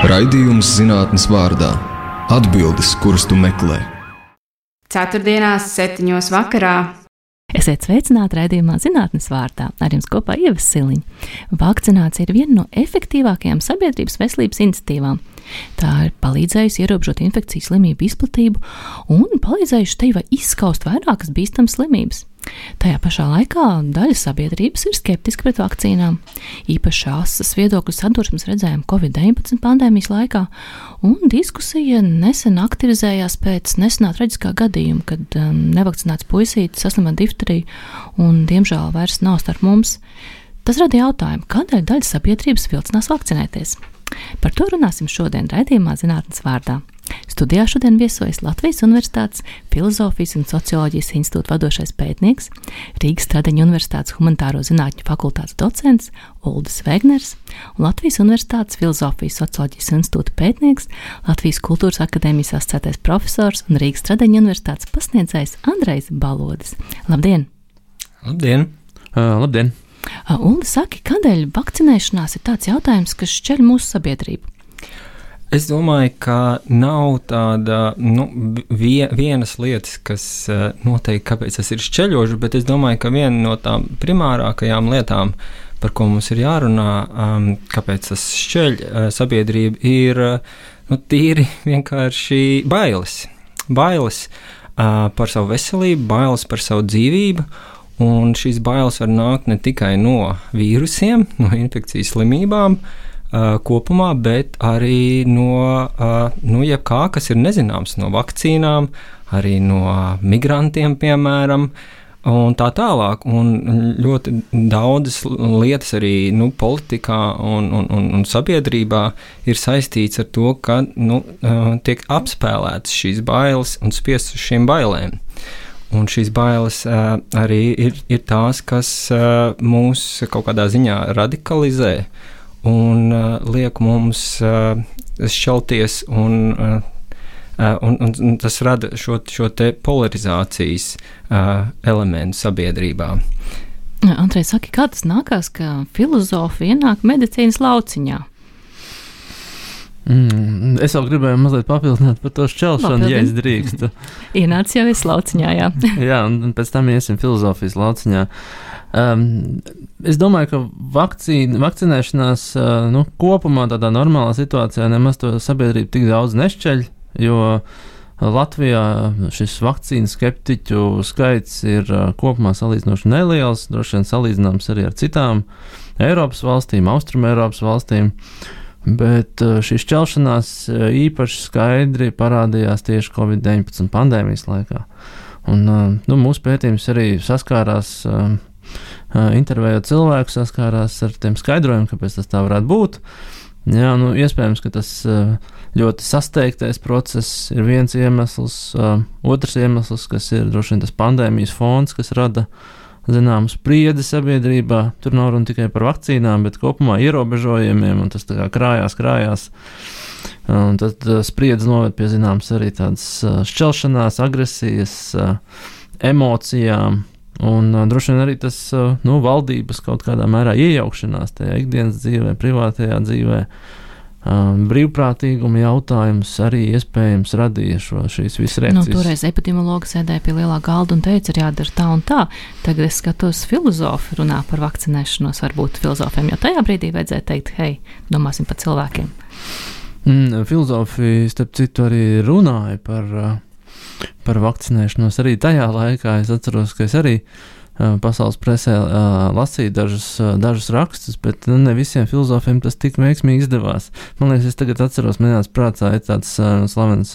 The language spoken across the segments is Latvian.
Raidījums zinātnes vārdā. Atbildes, kuras tu meklē. Ceturtdienās 7:00 vakarā. Esiet sveicināti raidījumā zinātnes vārdā. Ar jums kopā Ieva Siliņa. Vakcinācija ir viena no efektīvākajām sabiedrības veselības iniciatīvām. Tā ir palīdzējusi ierobežot infekcijas slimību izplatību un palīdzējusi tev izskaust vairākas bīstamas slimības. Tajā pašā laikā daļa sabiedrības ir skeptiska pret vakcīnām. Īpaši asas viedokļu sadursmes redzējām Covid-19 pandēmijas laikā, un diskusija nesen aktivizējās pēc nesenā traģiskā gadījuma, kad nevakcinēts puisītis saslima difteriju un, diemžēl, vairs nav starp mums. Tas rada jautājumu, kādēļ daļa sabiedrības vilcinās vakcinēties. Par to runāsim šodien raidījumā zinātnes vārdā. Studijā šodien viesojas Latvijas Universitātes Filozofijas un socioloģijas institūta vadošais pētnieks, Rīgas Stradeņu Universitātes humanitāro zinātņu fakultātes docents Uldis Vēgners un Latvijas Universitātes Filozofijas socioloģijas institūta pētnieks, Latvijas Kultūras akadēmijas asociētais profesors un Rīgas Stradeņu Universitātes pasniedzējs Andrejs Balodis. Labdien! Labdien! Labdien! Uldi, saki, kādēļ vakcinēšanās ir tāds jautājums, kas šķeļ mūsu sabiedrību? Es domāju, ka nav tāda vienas lietas, kas noteikti kāpēc tas ir šķeļoši, bet es domāju, ka viena no tām primārākajām lietām, par ko mums ir jārunā, kāpēc tas šķeļ sabiedrību, ir tīri vienkārši bailes. Bailes par savu veselību, bailes par savu dzīvību, un šīs bailes var nākt ne tikai no vīrusiem, no infekcijas slimībām, kopumā, bet arī no jebkā, kas ir nezināms, no vakcīnām, arī no migrantiem, piemēram, un tā tālāk. Un ļoti daudzas lietas arī politikā un sabiedrībā ir saistīts ar to, ka tiek apspēlētas šīs bailes un spiests uz šīm bailēm. Un šīs bailes arī ir tās, kas mūs kaut kādā ziņā radikalizē un liek mums šķelties, un tas rada šo te polarizācijas elementu sabiedrībā. Andrej, saki, kā tas nākās, ka filozofi ienāk medicīnas lauciņā? Es vēl gribēju mazliet papildināt par to šķelšanu, ja es drīkstu. Ienāc jau es lauciņā, jā. Jā, un pēc tam iesim filozofijas lauciņā. Es domāju, ka vakcinēšanās kopumā tādā normālā situācijā nemaz to sabiedrību tik daudz nešķeļ, jo Latvijā šis vakcīnu skeptiķu skaits ir kopumā salīdzinoši neliels, droši vien salīdzināms arī ar citām Eiropas valstīm, Austrum Eiropas valstīm. Bet šī šķelšanās īpaši skaidri parādījās tieši Covid-19 pandēmijas laikā. Un, mūsu pētījums arī saskārās, intervējot cilvēku, saskārās ar tiem skaidrojumiem, kāpēc tas tā varētu būt. Jā, iespējams, ka tas ļoti sasteigtais process ir viens iemesls. Otrs iemesls, kas ir droši vien tas pandēmijas fons, kas rada zināmu spriedzi sabiedrībā. Tur nav runa tikai par vakcīnām, bet kopumā ierobežojumiem, un tas tā kā krājās. Un tad spriedzi noved pie zināmas arī tādas šķelšanās, agresijas, emocijām, un droši vien arī tas valdības kaut kādā mērā iejaukšanās tajā ikdienas dzīvē, privātajā dzīvē. Brīvprātīguma jautājums arī iespējams radīja šīs visas reakcijas. Toreiz epidemiologi sēdēja pie lielā galda un teica, ir jādara tā un tā. Tagad es skatos, filozofi runā par vakcinēšanos, varbūt filozofiem, jo tajā brīdī vajadzēja teikt, hei, domāsim par cilvēkiem. Filozofi, starp citu, arī runāja par vakcinēšanos arī tajā laikā. Es atceros, ka es arī pasaules presē lasīju dažus rakstus, bet ne visiem filozofiem tas tik veiksmīgi izdevās. Man liekas, es tagad atceros, manās prātā ir tāds slavens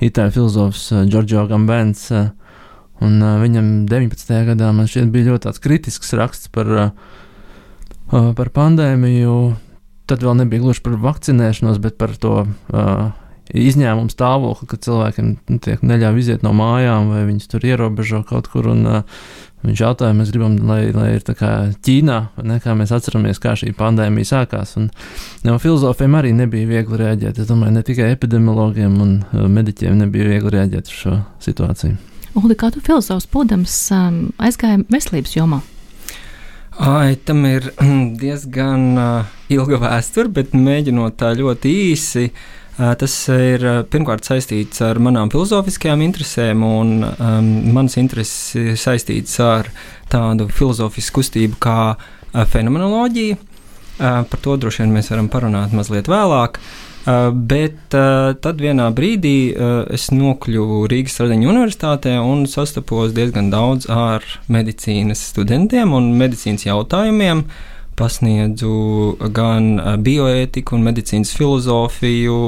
itāļu filozofs Giorgio Agambenz, un viņam 19. gadā man šķiet bija ļoti tāds kritisks raksts par pandēmiju. Tad vēl nebija gluži par vakcinēšanos, bet par to izņēmumu stāvokli, ka cilvēkiem neļauj iziet no mājām vai viņus tur ierobežo kaut kur, un viņš jautāja, mēs gribam, lai ir tā kā Ķīnā, kā mēs atceramies, kā šī pandēmija sākās, un filozofiem arī nebija viegli reaģēt. Es domāju, ne tikai epidemiologiem un mediķiem nebija viegli reaģēt uz šo situāciju. Uldi, kā tu filozofs būdams aizgāja veselības jomā? Tam ir diezgan ilga vēsture, bet mēģinot tā ļoti īsi, tas ir pirmkārt saistīts ar manām filozofiskajām interesēm, un manas intereses ir saistītas ar tādu filozofisku kustību kā fenomenoloģija. Par to droši vien mēs varam parunāt mazliet vēlāk. Bet tad vienā brīdī es nokļuvu Rīgas Stradiņu universitātē un sastapos diezgan daudz ar medicīnas studentiem un medicīnas jautājumiem. Pasniedzu gan bioētiku un medicīnas filozofiju,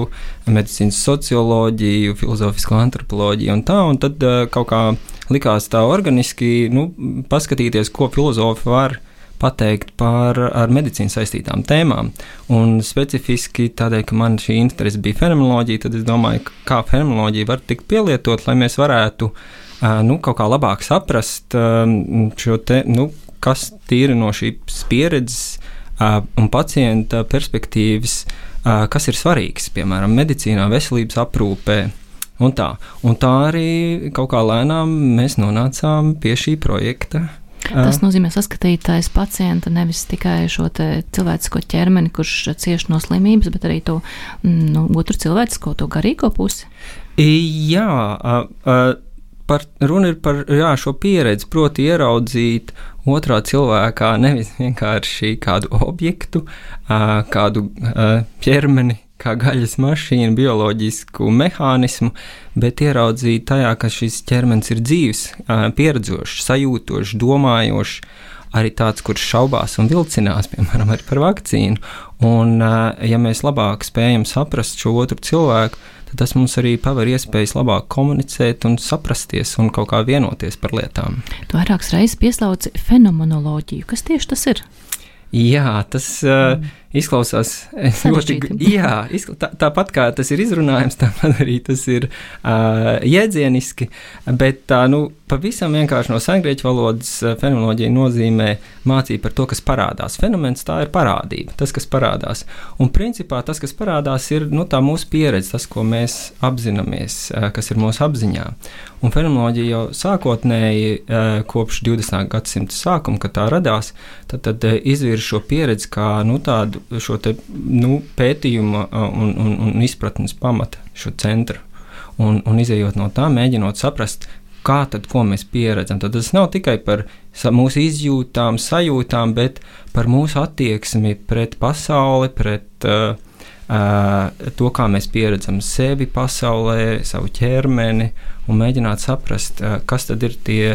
medicīnas socioloģiju, filozofisko antropoloģiju un tā, un tad kaut kā likās tā organiski, paskatīties, ko filozofi var pateikt par ar medicīnu saistītām tēmām. Un specifiski tādēļ, ka man šī interese bija fenomenoloģija, tad es domāju, kā fenomenoloģija var tikt pielietot, lai mēs varētu kaut kā labāk saprast šo te, kas tīri no šīs pieredzes un pacienta perspektīvas, kas ir svarīgs, piemēram, medicīnā, veselības aprūpē un tā. Un tā arī kaut kā lēnām mēs nonācām pie šī projekta. Tas nozīmē saskatītais pacienta, nevis tikai šo cilvēcisko ķermeni, kurš cieš no slimības, bet arī to otru cilvēcisko, to garīgo pusi. Jā, runa ir par šo pieredzi, proti ieraudzīt otrā cilvēkā nevis vienkārši kādu objektu, kādu ķermeni, kā gaļas mašīnu, bioloģisku mehānismu, bet ieraudzīt tajā, ka šis ķermenis ir dzīvs, pieredzošs, sajūtošs, domājošs, arī tāds, kurš šaubās un vilcinās, piemēram, arī par vakcīnu. Un, ja mēs labāk spējam saprast šo otru cilvēku, tad tas mums arī paver iespējas labāk komunicēt un saprasties un kaut kā vienoties par lietām. Tu vairākas reizes pieslauci fenomenoloģiju. Kas tieši tas ir? Jā, tas izklausās ļoti, tāpat kā tas ir izrunājums, tāpat arī tas ir jēdzieniski, bet pavisam vienkārši no sengrieķu valodas fenomenoloģija nozīmē mācība par to, kas parādās. Fenomens tā ir parādība, tas, kas parādās. Un principā tas, kas parādās, ir tā mūsu pieredze, tas, ko mēs apzināmies, kas ir mūsu apziņā. Un fenomenoloģija jau sākotnēji kopš 20. gadsimta sākuma, kad tā radās, tad izvirza šo pieredzi kā tādu šo te, pētījuma un izpratnes pamata, šo centru. Un izejot no tā, mēģinot saprast, kā tad, ko mēs pieredzam. Tad tas nav tikai par mūsu izjūtām, sajūtām, bet par mūsu attieksmi pret pasauli, pret to, kā mēs pieredzam sevi pasaulē, savu ķermeni, un mēģināt saprast, kas tad ir tie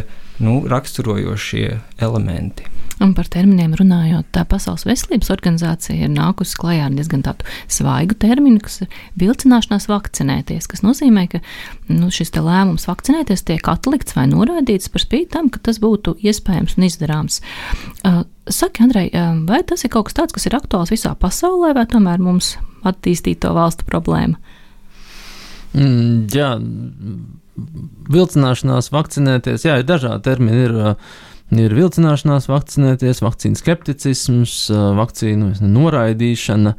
raksturojošie elementi. Un par terminiem runājot, tā Pasaules veselības organizācija ir nākusi klajā ar diezgan tādu svaigu terminu, kas ir vilcināšanās vakcinēties, kas nozīmē, ka šis te lēmums vakcinēties tiek atlikts vai noraidīts par spīti tam, ka tas būtu iespējams un izdarāms. Saki, Andrej, vai tas ir kaut kas tāds, kas ir aktuāls visā pasaulē, vai tomēr mums attīstīto valstu problēma? Jā, vilcināšanās vakcinēties, ir dažādi termini, ir vilcināšanās vakcinēties, vakcīnu skepticisms, vakcīnu noraidīšana,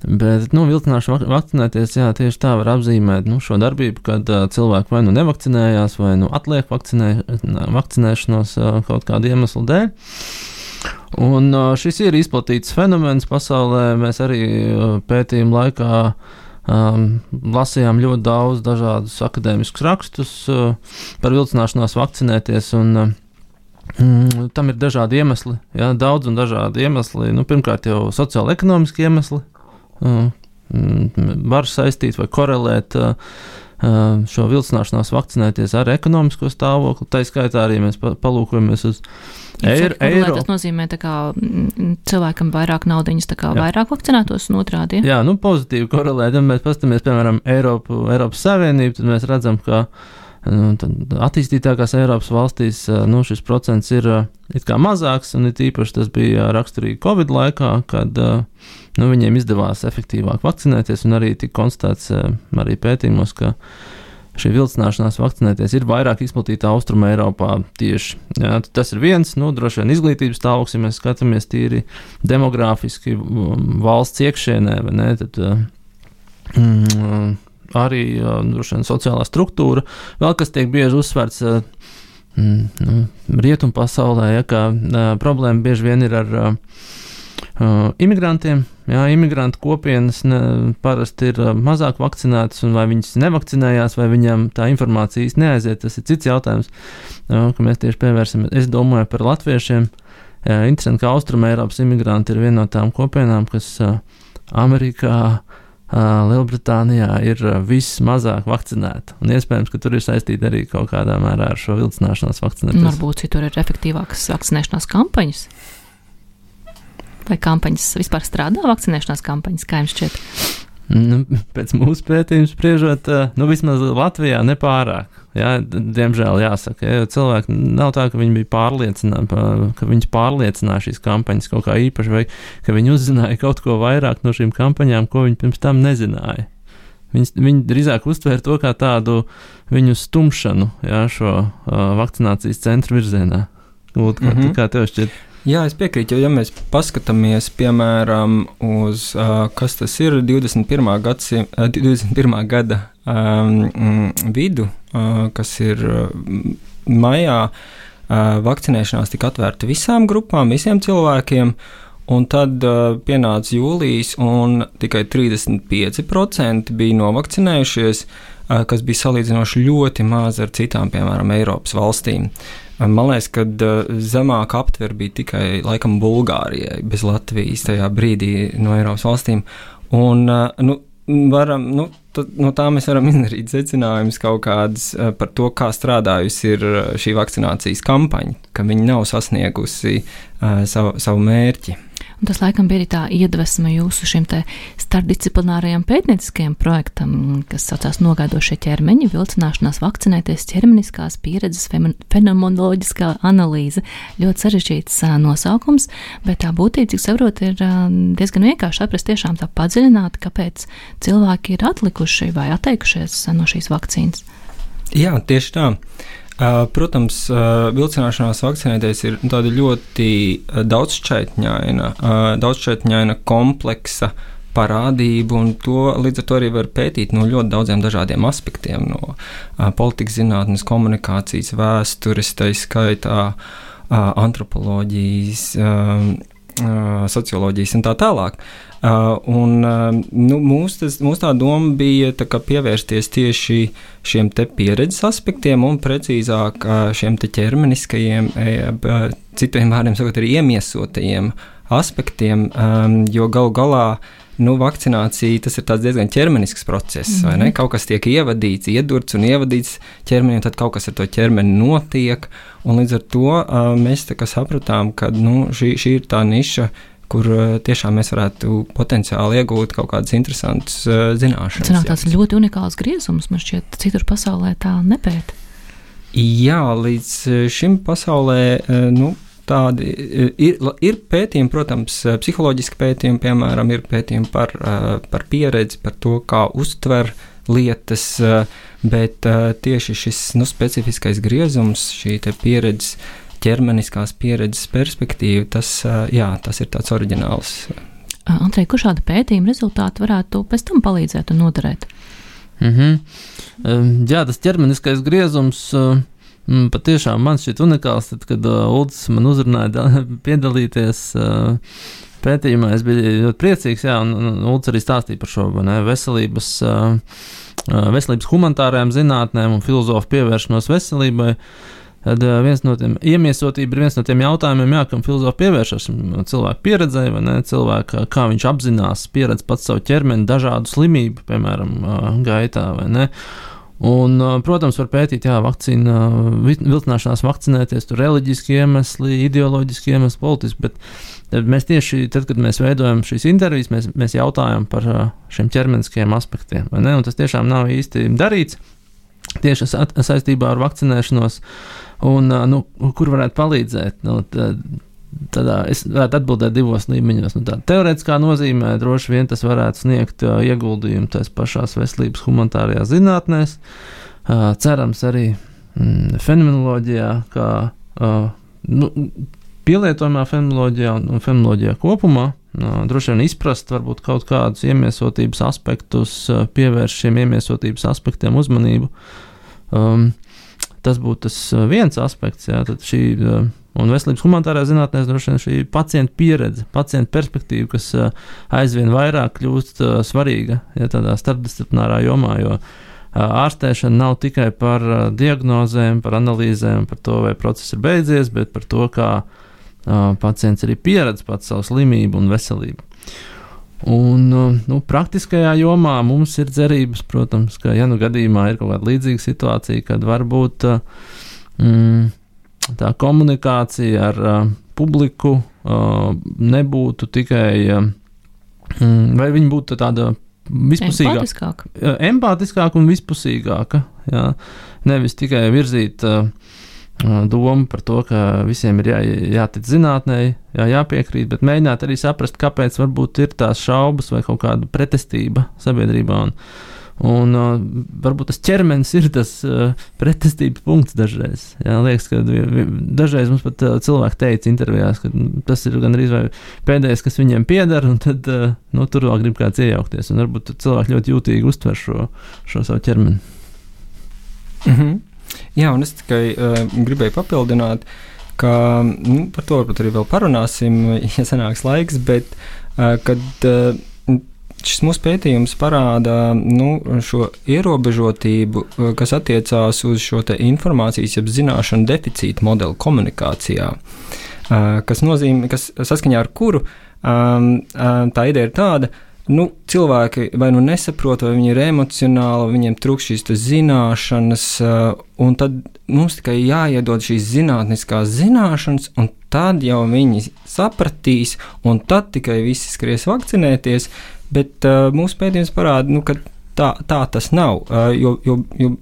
bet, vilcināšana vakcinēties, tieši tā var apzīmēt, šo darbību, kad cilvēki vai nevakcinējās, vai atliek vakcinēšanos kaut kādu iemeslu dēļ. Un šis ir izplatīts fenomens pasaulē, mēs arī pētījumu laikā lasījām ļoti daudz dažādus akadēmiskus rakstus par vilcināšanās vakcinēties, un tam ir dažādi iemesli, daudz un dažādi iemesli. Pirmkārt jau sociāli-ekonomiski iemesli var saistīt vai korelēt šo vilcināšanās vakcinēties ar ekonomisko stāvokli. Tā skaitā arī mēs palūkojamies uz eiro. Tas nozīmē, ka cilvēkam vairāk naudiņas, vairāk vakcinētos un otrādi. Jā, pozitīvi korelēt. Ja mēs paskatāmies, piemēram, Eiropas Savienību, tad mēs redzam, ka attīstītākās Eiropas valstīs šis procents ir it kā mazāks, un it īpaši tas bija raksturīgi Covid laikā, kad viņiem izdevās efektīvāk vakcinēties, un arī tika konstatēts arī pētījumos, ka šī vilcināšanās vakcinēties ir vairāk izplatīta Austruma Eiropā tieši. Jā, tas ir viens, droši vien izglītības stāvoklis, ja mēs skatāmies tīri demogrāfiski valsts iekšienē, vai ne, tad arī droši vien sociālā struktūra. Vēl kas tiek bieži uzsvērts, rietumu pasaulē, ja, ka problēma bieži vien ir ar imigrantiem. Jā, imigrantu kopienas parasti ir mazāk vakcinētas, un vai viņas nevakcinējās, vai viņām tā informācija īsti neaiziet, tas ir cits jautājums, ka mēs tieši pievērsim. Es domāju par latviešiem. Interesanti, ka Austruma Eiropas imigranti ir viena no tām kopienām, kas Amerikā, Lielbritānijā ir vismazāk vakcinēta. Un iespējams, ka tur ir saistīta arī kaut kādā mērā ar šo vilcināšanās vakcinēties. Varbūt citur ir efektīvākas vakcinēšanās kampaņas. Vai kampaņas vispār strādā, vakcinēšanās kampaņas, kā jums šķiet? Pēc mūsu pētījuma spriežot, vismaz Latvijā nepārāk. Jā, diemžēl jāsaka, jo cilvēki nav tā, ka viņi bija pārliecināti, ka viņus pārliecināja šīs kampaņas kaut kā īpaši, vai ka viņi uzzināja kaut ko vairāk no šīm kampaņām, ko viņi pirms tam nezināja. Viņi drīzāk uztvēra to kā tādu viņu stumšanu, jā, šo vakcinācijas centru virzienā. Kā tev šķiet? Jā, es piekrītu, jo ja mēs paskatāmies, piemēram, uz, kas tas ir 21. gada vidu, kas ir maijā, vakcinēšanās tika atvērta visām grupām, visiem cilvēkiem, un tad pienāca jūlijas, un tikai 35% bija novakcinējušies, kas bija salīdzinoši ļoti maz ar citām, piemēram, Eiropas valstīm. Man liekas, ka zemāka aptver bija tikai, laikam, Bulgārijai, bez Latvijas tajā brīdī no Eiropas valstīm. Un, no tā mēs varam izdarīt secinājumus kaut kādas par to, kā strādājusi ir šī vakcinācijas kampaņa, ka viņi nav sasniegusi savu mērķi. Un tas laikam bija arī tā iedvesma jūsu šim te starpdisciplinārajam pētnieciskajam projektam, kas saucās Nogaidošie ķermeņi, vilcināšanās vakcinēties, ķermeniskās pieredzes fenomenoloģiskā analīze. Ļoti sarežģīts nosaukums, bet tā būtība, cik saprotu, ir diezgan vienkārši saprast tiešām tā padziļināti, kāpēc cilvēki ir atlikuši vai atteikušies no šīs vakcīnas. Jā, tieši tā. Protams, vilcināšanās vakcinēties ir tāda ļoti daudzšķaitņaina, kompleksa parādība, un to līdz ar to arī var pētīt no ļoti daudziem dažādiem aspektiem, no politikas zinātnes, komunikācijas, vēstures, tā skaitā antropoloģijas, socioloģijas un tā tālāk. Mūsu tā doma bija tā kā pievērsties tieši šiem te pieredzes aspektiem un precīzāk šiem te ķermeniskajiem, citiem vārdiem sakot, arī iemiesotajiem aspektiem, jo galu galā vakcinācija, tas ir tāds diezgan ķermenisks process, vai ne? Kaut kas tiek ievadīts, iedurts un ievadīts ķermenī, un tad kaut kas ar to ķermeni notiek, un līdz ar to mēs tā kā sapratām, ka šī ir tā niša, kur tiešām mēs varētu potenciāli iegūt kaut kādas interesantas zināšanas. Tas ir tāds ļoti unikāls griezums, man šķiet, citur pasaulē tā nepēta. Jā, līdz šim pasaulē, tādi ir pētījumi, protams, psiholoģiski pētījumi, piemēram, ir pētījumi par pieredzi, par to, kā uztver lietas, bet tieši šis specifiskais griezums, šī te pieredzes, ķermeniskās pieredzes perspektīva, tas ir tāds oriģināls. Andrej, kur šāda pētījuma rezultāti varētu pēc tam palīdzēt un noderēt? Jā, tas ķermeniskais griezums patiešām man šķiet unikāls, tad, kad Uldis man uzrunāja piedalīties pētījumā, es biju ļoti priecīgs, un Uldis arī stāstīja par šo veselības humanitārajām zinātnēm un filozofu pievēršanos veselībai. Tad iemiesotība ir viens no tiem jautājumiem, kam filozofi pievēršas cilvēku pieredzei, vai ne, cilvēka, kā viņš apzinās, pieredz pats savu ķermeni dažādu slimību, piemēram, gaitā, vai ne. Un, protams, var pētīt, vakcīna, vilcināšanās vakcinēties, tur reliģiski iemesli, ideoloģiski iemesli, politiski, bet mēs tieši, tad, kad mēs veidojam šīs intervijas, mēs jautājam par šiem ķermeniskajiem aspektiem, vai ne, un tas tiešām nav īsti darīts, tieši saistībā ar vakcinēšanos, un, kur varētu palīdzēt, tad es varētu atbildēt divos līmeņos. Tā teorētiskā nozīmē droši vien tas varētu sniegt ieguldījumu tās pašās veselības humanitārajās zinātnēs, cerams arī fenomenoloģijā, kā pielietojumā fenomenoloģijā un fenomenoloģijā kopumā, droši vien izprast varbūt kaut kādus iemiesotības aspektus, pievērst šiem iemiesotības aspektiem uzmanību. Tas būtu tas viens aspekts, jā, tad šī un veselības humanitārā zinātnēs droši vien šī pacienta pieredze, pacienta perspektīva, kas aizvien vairāk kļūst svarīga, ja tādā starpdisciplinārā jomā, jo ārstēšana nav tikai par diagnozēm, par analīzēm, par to, vai process ir beidzies, bet par to, kā pacients arī pieredz pats savu slimību un veselību. Un praktiskajā jomā mums ir cerības, protams, ka, ja gadījumā ir kaut kāda līdzīga situācija, kad varbūt tā komunikācija ar publiku nebūtu tikai, vai viņa būtu tāda vispusīgāka. Empātiskāka un vispusīgāka. Jā. Nevis tikai virzīt domu par to, ka visiem ir jātic zinātnei, jāpiekrīt, bet mēģināt arī saprast, kāpēc varbūt ir tās šaubas vai kaut kāda pretestība sabiedrībā. Un varbūt tas ķermenis ir tas pretestības punkts dažreiz. Jā, liekas, ka dažreiz mums pat cilvēki teica intervijās, ka tas ir gan arī pēdējais, kas viņiem pieder, un tad tur vēl grib kāds iejaukties. Un varbūt cilvēki ļoti jūtīgi uztver šo savu ķermeni. Mhm. Jā, un es tikai gribēju papildināt, ka par to varbūt arī vēl parunāsim, ja sanāks laiks, bet kad šis mūsu pētījums parāda šo ierobežotību, kas attiecās uz šo te informācijas, jeb zināšanu deficītu modeli komunikācijā, kas nozīmē, kas saskaņā ar kuru tā ideja ir tāda, cilvēki vai nesaprot, vai viņi ir emocionāli, viņiem trūkst šīs zināšanas, un tad mums tikai jāiedod šīs zinātniskās zināšanas, un tad jau viņi sapratīs, un tad tikai visi skries vakcinēties, bet mūsu pētījums parāda, ka tā tas nav, jo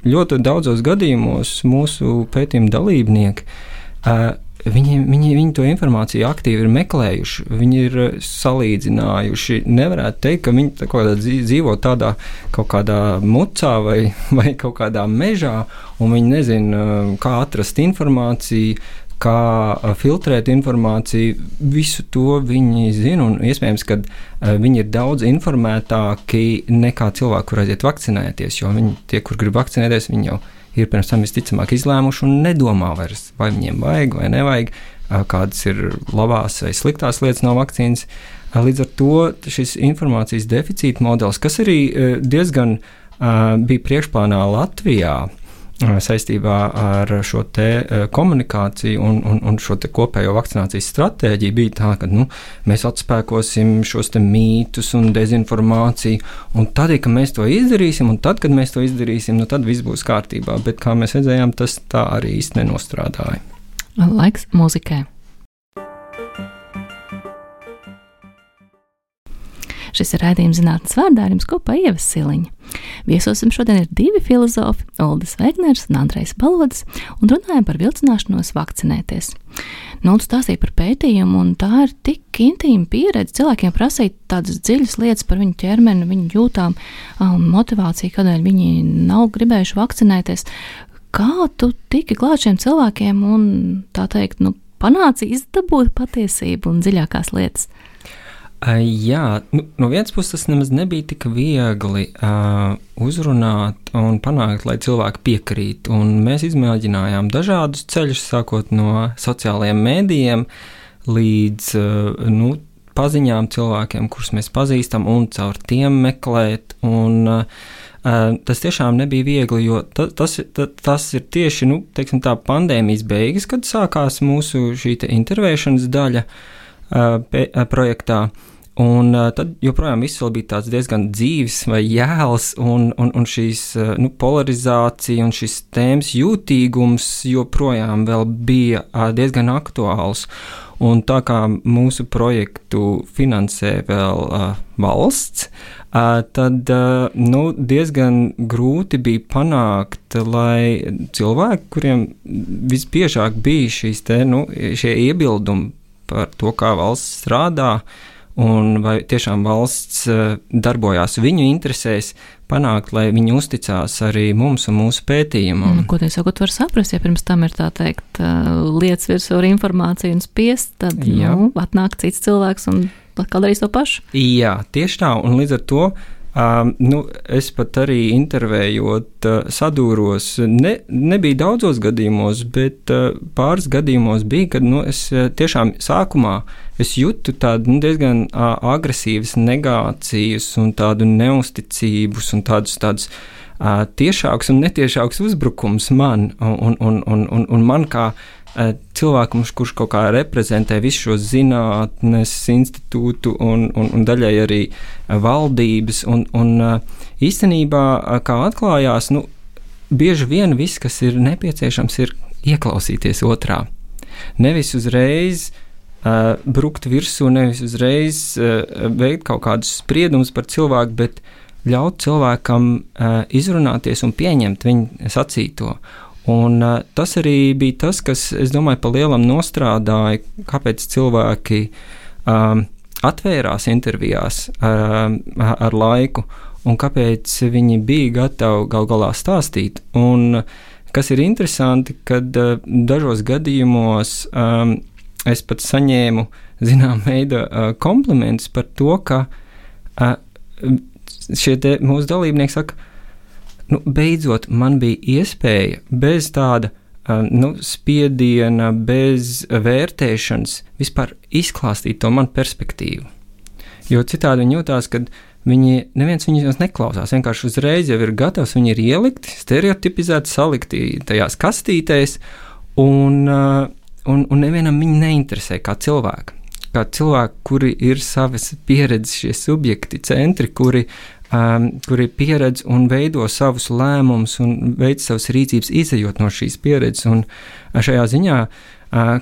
ļoti daudzos gadījumos mūsu pētījuma dalībnieki Viņi to informāciju aktīvi ir meklējuši, viņi ir salīdzinājuši. Nevarētu teikt, ka viņi dzīvo tādā kaut kādā mucā vai kaut kādā mežā, un viņi nezina, kā atrast informāciju, kā filtrēt informāciju. Visu to viņi zina, un iespējams, ka viņi ir daudz informētāki nekā cilvēki, kur aiziet vakcinēties, jo tie, kur grib vakcinēties, viņi jau ir pirms tam visticamāk izlēmuši un nedomā vairs, vai viņiem vajag vai nevajag, kādas ir labās vai sliktās lietas no vakcīnas. Līdz ar to šis informācijas deficīta modelis, kas arī diezgan bija priekšplānā Latvijā saistībā ar šo te komunikāciju un šo te kopējo vakcinācijas stratēģiju, bija tā, ka mēs atspēkosim šos te mītus un dezinformāciju, un tad, kad mēs to izdarīsim, tad viss būs kārtībā, bet kā mēs redzējām, tas tā arī īsti nenostrādāja. Laiks mūzikai. Šis ir raidījums zinātnes vārdā, ar jums kopā Ieva Siliņa. Viesosim šodien ir divi filozofi, Uldis Vegners un Andrejs Balodis, un runājam par vilcināšanos vakcinēties. Uldis stāstīja par pētījumu, un tā ir tik intīma pieredze cilvēkiem prasīt tādas dziļas lietas par viņu ķermeni, viņu jūtām, motivāciju, kādēļ viņi nav gribējuši vakcinēties. Kā tu tiki klāt šiem cilvēkiem un, tā teikt, panāci izdabūt patiesību un dziļākās lietas? Jā, no vienas puses tas nemaz nebija tik viegli uzrunāt un panākt, lai cilvēki piekrīt. Un mēs izmēģinājām dažādus ceļus, sākot no sociālajiem mēdījiem līdz paziņām cilvēkiem, kurus mēs pazīstam, un caur tiem meklēt. Un tas tiešām nebija viegli, jo tas ir tieši teiksim tā, pandēmijas beigas, kad sākās mūsu šī intervēšanas daļa projektā. Un tad joprojām viss vēl bija tāds diezgan dzīves vai jēls, un šīs polarizācija un šis tēmas jūtīgums joprojām vēl bija diezgan aktuāls. Un tā kā mūsu projektu finansē vēl valsts, tad diezgan grūti bija panākt, lai cilvēki, kuriem visbiežāk bija šie iebildumi par to, kā valsts strādā, un vai tiešām valsts darbojās viņu interesēs, panākt, lai viņi uzticās arī mums un mūsu pētījumam. Ko te sakot, var saprast, ja pirms tam ir tā teikt lietas virsū ar informāciju un spiest, tad atnāk cits cilvēks un atkal darīs to pašu. Jā, tieši tā, un līdz ar to Es pat arī intervējot sadūros, nebija daudzos gadījumos, bet pāris gadījumos bija, kad es tiešām sākumā es jūtu tādu diezgan agresīvas negācijas un tādu neusticības un tādus tiešāks un netiešāks uzbrukums man un man kā cilvēkam, kurš kaut kā reprezentē visu šo zinātnes institūtu un daļai arī valdības. Un īstenībā, kā atklājās, bieži vien viss, kas ir nepieciešams, ir ieklausīties otrā. Nevis uzreiz brukt virsū, nevis uzreiz veikt kaut kādus spriedumus par cilvēku, bet ļaut cilvēkam izrunāties un pieņemt viņa sacīto. Un tas arī bija tas, kas, es domāju, pa lielam nostrādāja, kāpēc cilvēki atvērās intervijās ar laiku un kāpēc viņi bija gatavi gal galā stāstīt. Un kas ir interesanti, kad dažos gadījumos es pat saņēmu zinām veida komplimentus par to, ka šie mūsu dalībnieki saka, beidzot man bija iespēja bez tāda spiediena, bez vērtēšanas vispār izklāstīt to manu perspektīvu. Jo citādi viņi jūtās, ka neviens viņus neklausās, vienkārši uzreiz jau ir gatavs, viņi ir ielikti, stereotipizēti, salikti tajās kastītēs, un nevienam viņi neinteresē kā cilvēki. Kā cilvēki, kuri ir savas pieredzes, šie subjekti, centri, kuri pieredz un veido savus lēmumus un veic savas rīcības izejot no šīs pieredzes. Un šajā ziņā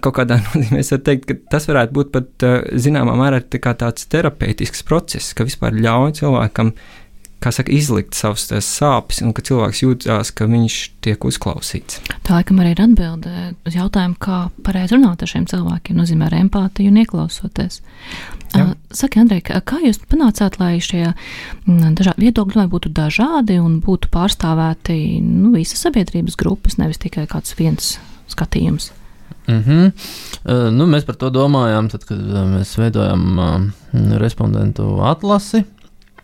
kaut kādā nozīmē es varu teikt, ka tas varētu būt pat zināmā mērā kā tāds terapeitisks process, ka vispār ļauj cilvēkam, kā saka, izlikt savas sāpes un ka cilvēks jūtās, ka viņš tiek uzklausīts. Tā laikam arī ir atbilde uz jautājumu, kā pareizi runāt ar šiem cilvēkiem, nozīmē ar empātiju un ieklausoties. Saki, Andrej, kā jūs panācāt, lai šie viedokļi būtu dažādi un būtu pārstāvēti visas sabiedrības grupas, nevis tikai kāds viens skatījums? Mēs par to domājām, tad, kad mēs veidojam respondentu atlasi.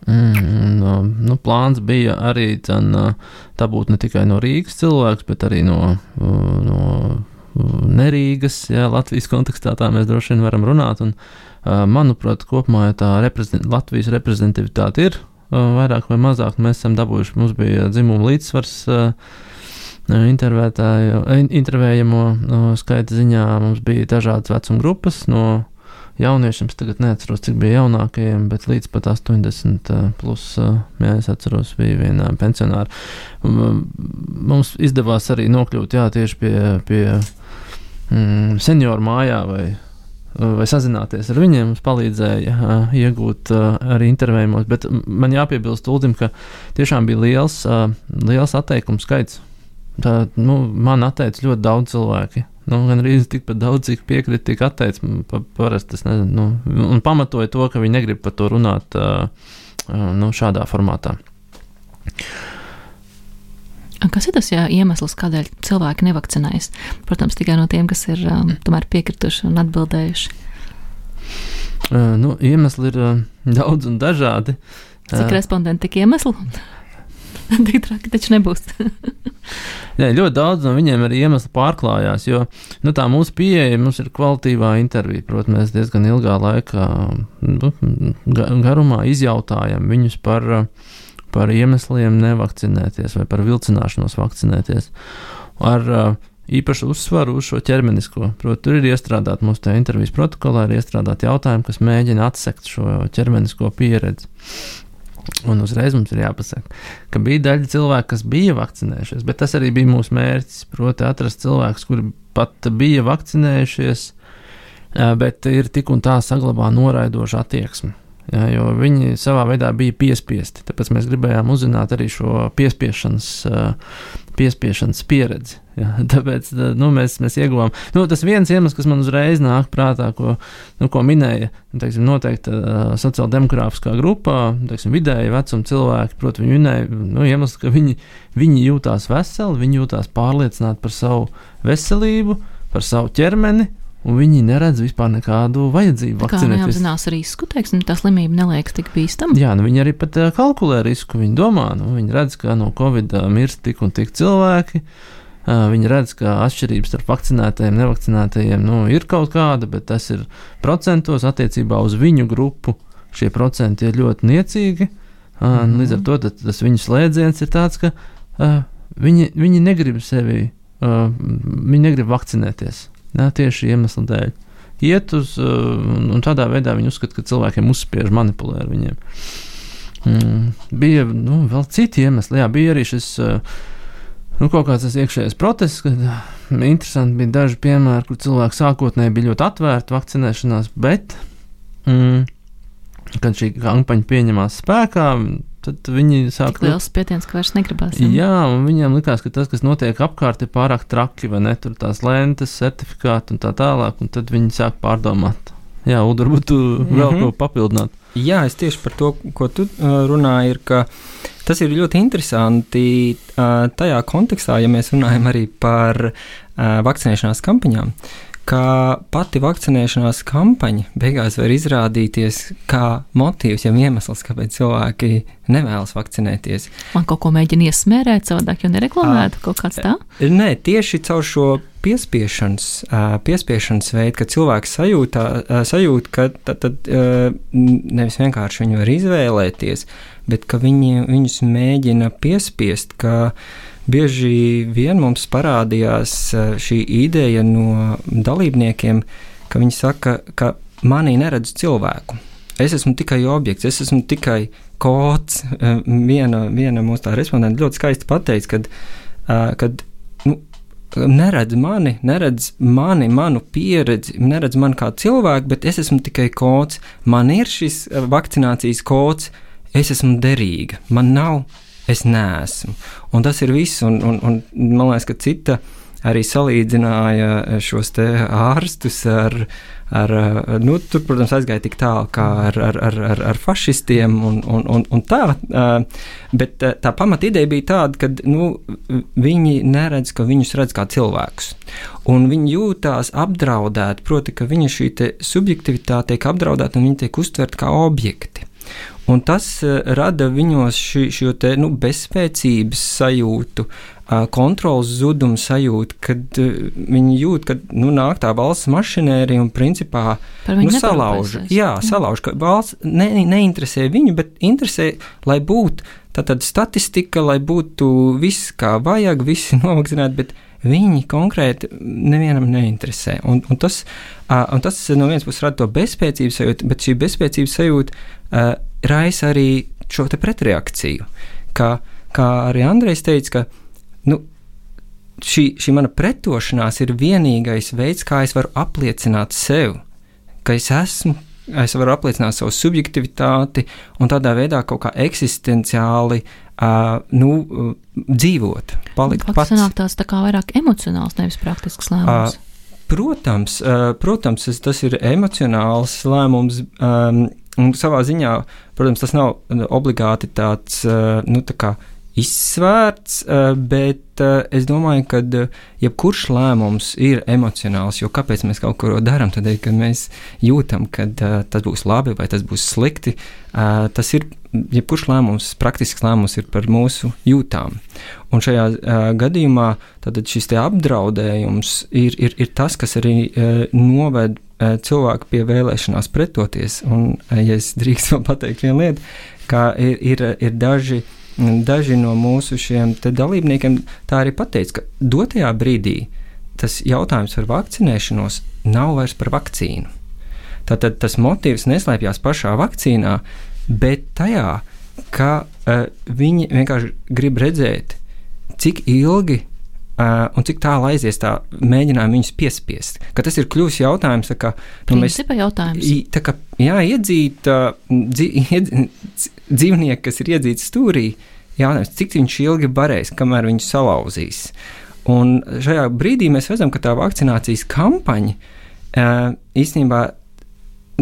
Plāns bija arī tā būt ne tikai no Rīgas cilvēks, bet arī no nerīgas, Latvijas kontekstā tā mēs droši vien varam runāt, un manuprāt, kopumā tā Latvijas reprezentativitāte ir vairāk vai mazāk, mēs esam dabūjuši, mums bija dzimuma līdzsvars intervējamo skaita ziņā, mums bija dažādas vecuma grupas, no jauniešiem, es tagad neatceros, cik bija jaunākajiem, bet līdz pat 80 plus, es atceros, bija viena pensionāra. Mums izdevās arī nokļūt, tieši pie senioru mājā vai sazināties ar viņiem, mums palīdzēja iegūt arī intervējumos, bet man jāpiebilst Uldim, ka tiešām bija liels atteikumu skaits. Man atteica ļoti daudz cilvēki. Gan arī tikpat daudz, cik piekrita, tik atteica. Parasti es nezinu. Un pamatoja to, ka viņi negrib par to runāt šādā formātā. Kas ir tas iemesls, kādēļ cilvēki nevakcinējas? Protams, tikai no tiem, kas ir tomēr piekrituši un atbildējuši. Iemesli ir daudz un dažādi. Cik respondenti tik iemesli? Tik traki taču nebūs. Ļoti daudz no viņiem arī iemesli pārklājās, jo tā mūsu pieeja, mums ir kvalitīvā intervija. Protams, mēs diezgan ilgā laikā garumā izjautājam viņus par iemesliem nevakcinēties vai par vilcināšanos vakcinēties. Ar īpašu uzsvaru uz šo ķermenisko. Protams, tur ir iestrādāt mūsu tajā intervijas protokolā, ir iestrādāt jautājumi, kas mēģina atsekt šo ķermenisko pieredzi. Un uzreiz mums ir jāpasaka, ka bija daļa cilvēku, kas bija vakcinējušies, bet tas arī bija mūsu mērķis, proti atrast cilvēkus, kuri pat bija vakcinējušies, bet ir tik un tā saglabā noraidošu attieksmi, jo viņi savā veidā bija piespiesti, tāpēc mēs gribējām uzzināt arī šo piespiešanas pieredzi. Tāpēc mēs ieguvām. Tas viens iemesls, kas man uzreiz nāk prātā, ko minēja, noteikti sociāldemogrāfiskā grupā, vidēji vecuma cilvēki, proti, viņi minēja, iemesls, ka viņi jūtās veseli, viņi jūtās pārliecināti par savu veselību, par savu ķermeni un viņi neredz vispār nekādu vajadzību vakcinēties. Kā neapzinās risku, teiksim, tā slimība neliekas tik bīstama? Jā, viņi arī pat kalkulē risku, viņi domā, viņi redz, ka no Covid mirst tik un tik cilvēki, viņi redz, ka atšķirības starp vakcinētajiem, nevakcinētajiem, ir kaut kāda, bet tas ir procentos attiecībā uz viņu grupu, šie procenti ir ļoti niecīgi, līdz ar to tas viņu slēdziens ir tāds, ka viņi negrib sevi, viņi negrib vakcinēties. Tieši iemesla dēļ. Iet uz, un tādā veidā viņi uzskata, ka cilvēkiem uzspiež, manipulē ar viņiem. Bija, vēl citi iemesli. Jā, bija arī šis, kaut kāds tas iekšējais protests, kad interesanti bija daži piemēri, kur cilvēki sākotnēji bija ļoti atvērti vakcinēšanās, bet, kad šī kampaņa pieņemās spēkā, tad viņi sāk... Tik liels spiediens, ka vairs negribās. Jā, un viņiem likās, ka tas, kas notiek apkārt, ir pārāk traki, vai ne, tur tās lentes, certifikāti un tā tālāk, un tad viņi sāk pārdomāt. Jā, Ulda, varbūt tu vēl ko papildināt. Jā, es tieši par to, ko tu runāji, ir, ka tas ir ļoti interesanti tajā kontekstā, ja mēs runājam arī par vakcinēšanās kampaņām, ka pati vakcinēšanās kampaņa beigās var izrādīties kā motīvs, jau iemesls, kāpēc cilvēki nevēlas vakcinēties. Man kaut ko mēģina iesmērēt savādāk, jo nereklamētu kaut kāds tā? Nē, tieši caur šo piespiešanas veidu, ka cilvēks sajūt, ka tad nevis vienkārši viņi var izvēlēties, bet ka viņus mēģina piespiest, ka bieži vien mums parādījās šī ideja no dalībniekiem, ka viņi saka, ka manī neredz cilvēku. Es esmu tikai objekts, es esmu tikai kods. Viena mūsu tā respondenta ļoti skaisti pateica, kad neredz mani, manu pieredzi, neredz mani kā cilvēku, bet es esmu tikai kods. Man ir šis vakcinācijas kods, es esmu derīga, man nav. Es neesmu. Un tas ir viss, un man liekas, ka cita arī salīdzināja šos te ārstus ar tur, protams, aizgāja tik tālu kā ar fašistiem un tā, bet tā pamata ideja bija tāda, ka viņi neredz, ka viņus redz kā cilvēkus. Un viņi jūtās apdraudēti, proti, ka viņa šī te subjektivitāte tiek apdraudēta un viņi tiek uztverti kā objekti. Un tas rada viņos šo te bezspēcības sajūtu, kontrolas zudumu sajūtu, kad viņi jūt, ka nāk tā valsts mašinērija un principā salauž. Jā, salauž, ka valsts neinteresē viņu, bet interesē, lai būtu tātad statistika, lai būtu viss kā vajag, visi novakcinēti, bet viņi konkrēti nevienam neinteresē. Un tas no vienas puses rada to bezspēcības sajūtu, bet šī bezspēcības sajūta raisa arī šo te pretreakciju. Kā arī Andrejs teica, ka šī mana pretošanās ir vienīgais veids, kā es varu apliecināt sev, ka es varu apliecināt savu subjektivitāti un tādā veidā kaut kā eksistenciāli dzīvot, palikt pats. Sanāk tās tā kā vairāk emocionāls, nevis praktisks lēmums. Protams, tas ir emocionāls lēmums, un savā ziņā, protams, tas nav obligāti tāds, tā kā izsvērts, bet es domāju, ka jebkurš lēmums ir emocionāls, jo kāpēc mēs kaut ko darām, tad, kad mēs jūtam, ka tas būs labi vai tas būs slikti, tas ir, jebkurš lēmums, praktisks lēmums ir par mūsu jūtām. Un šajā gadījumā tad šis te apdraudējums ir tas, kas arī noved cilvēku pie vēlēšanās pretoties. Un, ja es drīkst vēl pateikt vienu lietu, ka ir daži no mūsu šiem te dalībniekiem tā arī pateica, ka dotajā brīdī tas jautājums par vakcinēšanos nav vairs par vakcīnu. Tātad tas motīvs neslēpjas pašā vakcīnā, bet tajā, ka viņi vienkārši grib redzēt, cik ilgi un cik tālu aizies tā mēģinājumi viņus piespiest. Ka tas ir kļūst jautājums, ka principa jautājums. Tā kā iedzīt dzīvnieki, kas ir iedzīts stūrī, jautājums, cik viņš ilgi barēs, kamēr viņš salauzīs. Un šajā brīdī mēs redzam, ka tā vakcinācijas kampaņa īstenībā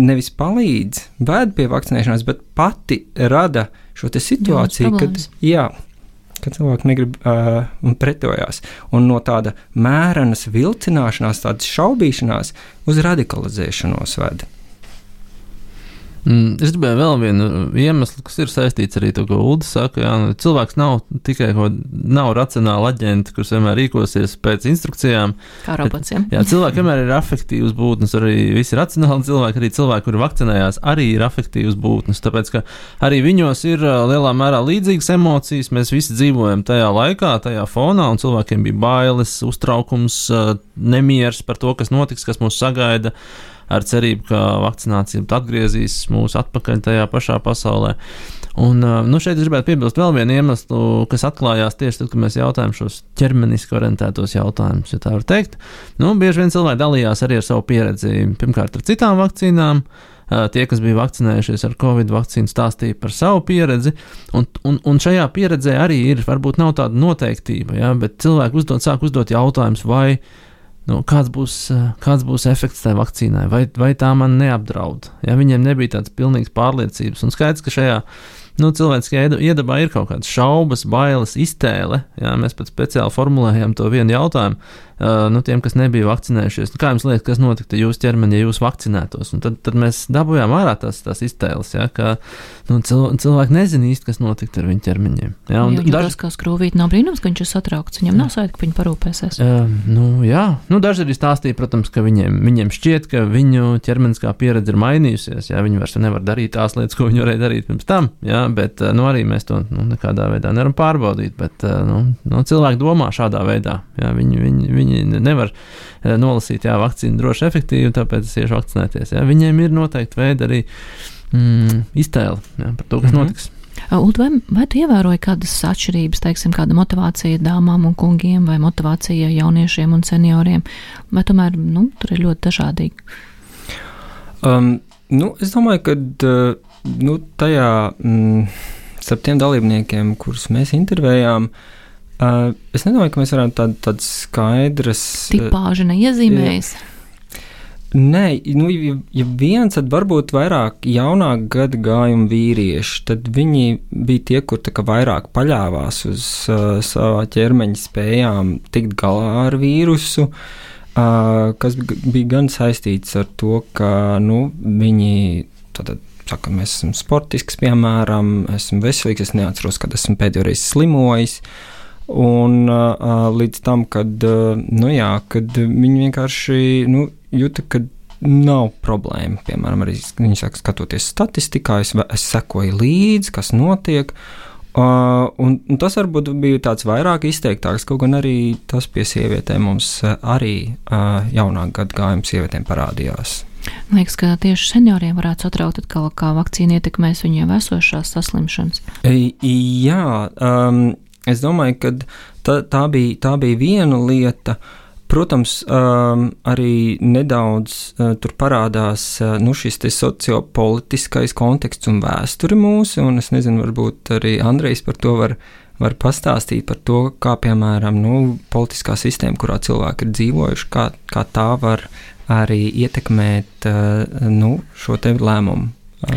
nevis palīdz, ved pie vakcinēšanās, bet pati rada šo te situāciju, kad ka cilvēki negrib un pretojās. Un no tāda mērenas vilcināšanās, tādas šaubīšanās uz radikalizēšanos veda. Es gribēju vēl vienu iemeslu, kas ir saistīts arī to, ko Uldis saka. Jā, cilvēks nav tikai nav racionāli aģenti, kurš vienmēr rīkosies pēc instrukcijām. Kā robots, jā, cilvēki vienmēr ir afektīvas būtnes, arī visi racionāli cilvēki, arī cilvēki, kuri vakcinējās, arī ir afektīvas būtnes, tāpēc, ka arī viņos ir lielā mērā līdzīgas emocijas, mēs visi dzīvojam tajā laikā, tajā fonā, un cilvēkiem bija bailes, uztraukums, nemieris par to, kas notiks, kas mūs sagaida, ar cerību, ka vakcinācija atgriezīs mūs atpakaļ tajā pašā pasaulē. Un šeit es gribētu piebilst vēl vienu iemeslu, kas atklājās tieši tad, kad mēs jautājam šos ķermeniski orientētos jautājumus, ja tā var teikt. Bieži vien cilvēki dalījās arī ar savu pieredzi, pirmkārt ar citām vakcīnām. Tie, kas bija vakcinējušies ar Covid vakcīnu, stāstīja par savu pieredzi, un šajā pieredzē arī ir, varbūt nav tāda noteiktība, ja, bet cilvēki sāk uzdot jautājumus, vai kāds būs efekts tai vakcīnai, vai tā man neapdraud. Ja, viņiem nebija tādas pilnīgas pārliecības, un skaidrs, ka šajā cilvēciskajā iedabā ir kaut kādas šaubas, bailes, iztēle. Ja, mēs pat speciāli formulējam to vienu jautājumu tiem, kas nebija vakcinējušies. Kā jums liekas, kas notiktu jūsu ķermeni, ja jūs vakcinētos? Un tad mēs dabūjām ārā tās iztēles, ja, ka cilvēki nezina īsti, kas notiktu ar viņu ķermeņiem. Ja, tas, kā skrūvīt, nav brīnums, ka viņš ir satraukts. Viņam nav sajūta, ka viņi parūpēsies. Jā. Daži arī stāstīja, protams, ka viņiem šķiet, ka viņu ķermeniskā pieredze ir mainījusies. Ja, viņi vairs nevar darīt tās lietas, ko viņi varēja darīt pirms tam. Ja, bet arī mēs to nekādā veidā nevaram pārbaudīt. Bet cilvēki domā šādā veidā. Ja, viņi nevar nolasīt, jā, vakcīna droši efektīvi, tāpēc es iešu vakcinēties. Jā. Viņiem ir noteikti veidi arī iztēle, jā, par to, kas notiks. Uld, vai tu ievēroji kādas atšķirības, teiksim, kāda motivācija dāmām un kungiem, vai motivācija jauniešiem un senioriem, vai tomēr, tur ir ļoti dažādīgi? Es domāju, ka tajā starp tiem dalībniekiem, kurus mēs intervējām, es nedomāju, ka mēs varam tādas skaidras tipāžu neiezīmējas. Nē, ja viens, tad varbūt vairāk jaunāk gadu gājumu vīrieši, tad viņi bija tie, kur tā kā vairāk paļāvās uz savā ķermeņa spējām tikt galā ar vīrusu, kas bija gan saistīts ar to, ka, viņi tātad saka, mēs esam sportisks, piemēram, esmu veselīgs, es neatceros, kad esmu pēdējo reizi slimojis. Un līdz tam, kad viņi vienkārši jūta, ka nav problēma. Piemēram, arī viņi saka, skatoties statistikā, es sekoju līdzi, kas notiek. Un tas varbūt bija tāds vairāk izteiktāks, kaut gan arī tas pie sievietēm mums arī jaunāk gadgājumu sievietēm parādījās. Liekas, ka tieši senioriem varētu satraukt atkal, kā vakcīna ietekmēs viņiem esošās saslimšanas. Jā, es domāju, ka tā bija viena lieta. Protams, arī nedaudz tur parādās šis te sociopolitiskais konteksts un vēsture mūsu, un es nezinu, varbūt arī Andrejs par to var pastāstīt par to, kā, piemēram, politiskā sistēma, kurā cilvēki ir dzīvojuši, kā tā var arī ietekmēt šo te lēmumu,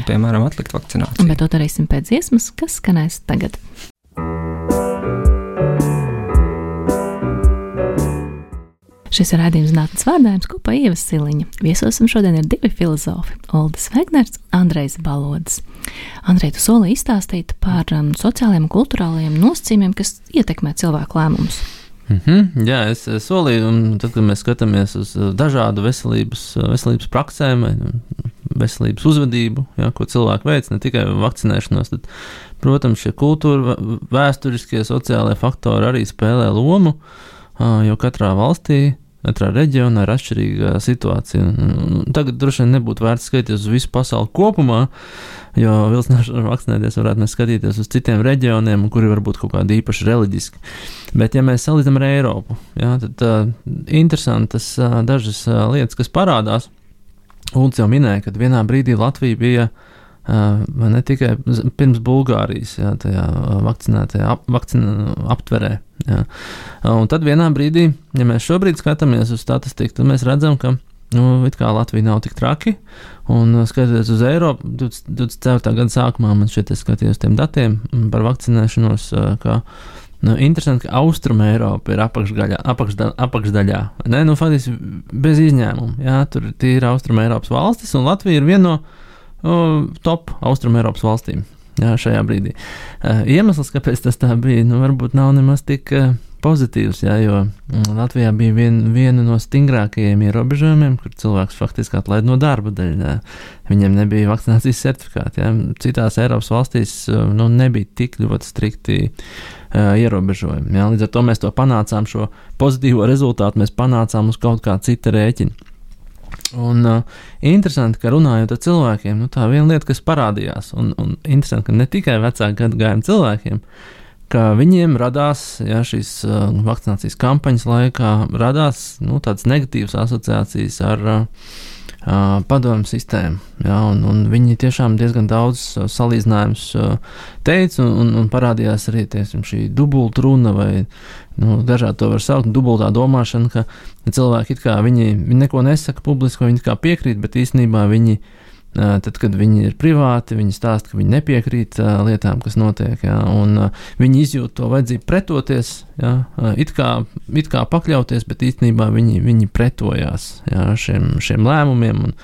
piemēram, atlikt vakcināciju. Bet to darīsim pēc dziesmas, kas skanēs tagad. Šis ir raidījums Zinātnes vārdājums kopā Ieva Siliņa. Viesosim šodien ir divi filozofi – Uldis Vegners un Andrejs Balodis. Andrej, tu solīji izstāstīt par sociālajiem un kulturālajiem nosacījumiem, kas ietekmē cilvēku lēmumus. Jā, es solīju, un tad, kad mēs skatāmies uz dažādu veselības praksēm, veselības uzvedību, jā, ko cilvēki veic, ne tikai vakcinēšanos, tad, protams, šie kultūra, vēsturiskie, sociālajie faktori arī spēlē lomu, jo katrā valstī, katrā reģionā ir atšķirīga situācija. Tagad droši vien nebūtu vērts skatīties uz visu pasauli kopumā, jo vilcināšanu vakcinēties varētu mēs skatīties uz citiem reģioniem, kuri varbūt kaut kādi īpaši reliģiski. Bet, ja mēs salīdzinām ar Eiropu, jā, tad interesantas dažas lietas, kas parādās. Uldis jau minēja, ka vienā brīdī Latvija bija ne tikai pirms Bulgārijas, jā, tajā vakcinētajā aptverē. Jā. Un tad vienā brīdī, ja mēs šobrīd skatāmies uz statistiku, tad mēs redzam, ka it kā Latvija nav tik traki, un skatoties uz Eiropu, 24. gada sākumā man šeit es skatījos tiem datiem par vakcinēšanos, ka interesanti, ka Austruma Eiropa ir apakšdaļā. Ne? Faktiski bez izņēmuma. Jā, tur ir Austruma Eiropas valstis, un Latvija ir viena no top Austruma Eiropas valstīm. Jā, šajā brīdī. Iemesls, kāpēc tas tā bija, varbūt nav nemaz tik pozitīvs, jā, jo Latvijā bija viena no stingrākajiem ierobežojumiem, kur cilvēks faktiski atlaid no darba dēļ. Jā. Viņiem nebija vakcinācijas certifikāti. Jā. Citās Eiropas valstīs nebija tik ļoti strikti ierobežojumi. Jā. Līdz ar to mēs to panācām, šo pozitīvo rezultātu mēs panācām uz kaut kā cita rēķina. Un interesanti, ka runājot ar cilvēkiem, tā viena lieta, kas parādījās, un interesanti, ka ne tikai vecāku gadagājumu cilvēkiem, ka viņiem radās, šīs vakcinācijas kampaņas laikā, radās tādas negatīvas asociācijas ar padomu sistēmu, un viņi tiešām diezgan daudz salīdzinājumus teica, un parādījās arī, teiksim, šī dubulta runa, vai, dažādi to var saukt, dubultā domāšana, ka cilvēki it kā viņi neko nesaka publiski, vai viņi kā piekrīt, bet īstenībā viņi, tad, kad viņi ir privāti, viņi stāsta, ka viņi nepiekrīt lietām, kas notiek, un viņi izjūt to vajadzību pretoties, it kā pakļauties, bet īstenībā viņi pretojās šiem lēmumiem un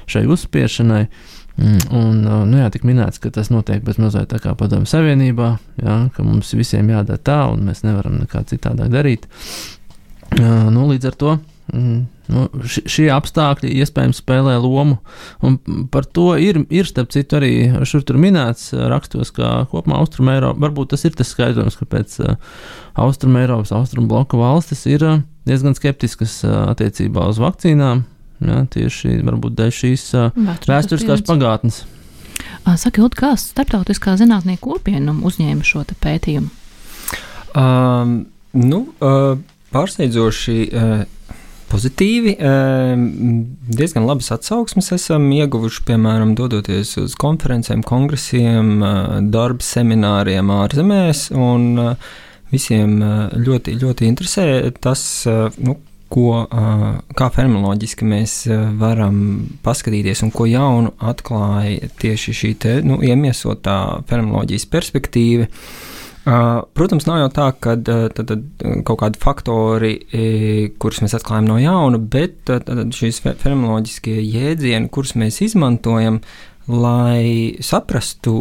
šai uzspiešanai. Un, tik minēts, ka tas notiek bez mazliet tā kā Padomju Savienībā, ka mums visiem jādara tā, un mēs nevaram nekā citādāk darīt. Līdz ar to šie apstākļi iespējams spēlē lomu, un par to ir starp citu arī šur tur minēts rakstos, ka kopumā Austrum Eiropa, varbūt tas ir tas skaidrojums, kāpēc Austrum Eiropas, Austrum bloka valstis ir diezgan skeptiskas attiecībā uz vakcīnām, tieši varbūt dēļ šīs vēsturiskās pagātnes. Saka, Ilda, kā starptautiskā zinātnieku kopiena uzņēma šo te pētījumu? Pārsteidzoši pozitīvi, diezgan labas atsauksmes esam ieguvuši, piemēram, dodoties uz konferencēm, kongresiem, darba semināriem ārzemēs, un visiem ļoti, ļoti interesē tas, kā fenomenoloģiski mēs varam paskatīties un ko jaunu atklāja tieši šī te, iemiesotā fenomenoloģijas perspektīva. Protams, nav jau tā, ka tad kaut kādi faktori, kurus mēs atklājam no jauna, bet šīs fenomenoloģiskie jēdzieni, kurus mēs izmantojam, lai saprastu,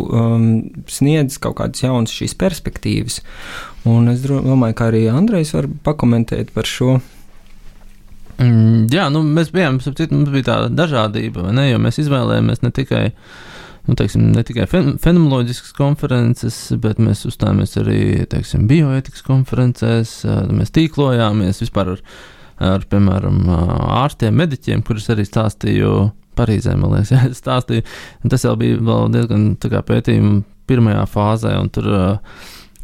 sniedz kaut kādas jaunas šīs perspektīvas. Un es domāju, ka arī Andrejs var pakomentēt par šo. Mēs bijām, mums bija tāda dažādība, vai ne, jo mēs izvēlējāmies ne tikai fenomenoloģiskas konferences, bet mēs uzstājāmies arī, bioētikas konferencēs, mēs tīklojāmies vispār ar piemēram, ārstiem, mediķiem, kurus arī stāstīju Parīzē, man liekas, stāstīju, un tas jau bija vēl diezgan tā kā pētījuma pirmajā fāzē, un tur